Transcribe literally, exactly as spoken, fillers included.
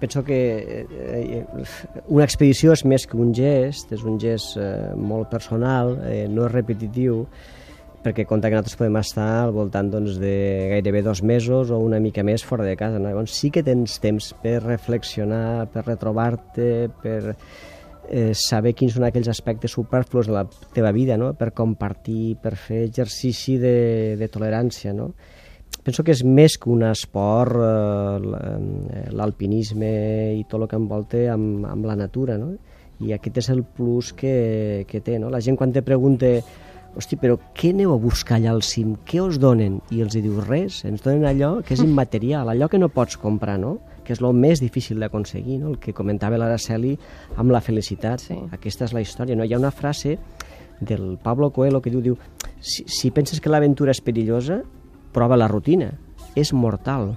Penso que una expedició és més que un gest, és un gest molt personal, no és repetitiu, perquè compta que nosaltres podem estar al voltant doncs, de gairebé dos mesos o una mica més fora de casa. No? Llavors sí que tens temps per reflexionar, per retrobar-te, per eh, saber quins són aquells aspectes superflus de la teva vida, no? Per compartir, per fer exercici de, de tolerància, no? Penso que és més que un esport, eh, l'alpinisme i tot el que envolta amb, amb la natura, no? I aquest és el plus que, que té, no? La gent quan te pregunta, hosti, però què aneu a buscar allà al cim? Què us donen? I els hi dius res, ens donen allò que és immaterial, allò que no pots comprar, no? Que és el més difícil d'aconseguir, no? El que comentava l'Araceli amb la felicitat. Sí. Aquesta és la història, no? Hi ha una frase del Pablo Coelho que diu, diu si, si penses que l'aventura és perillosa, prova la rutina, és mortal.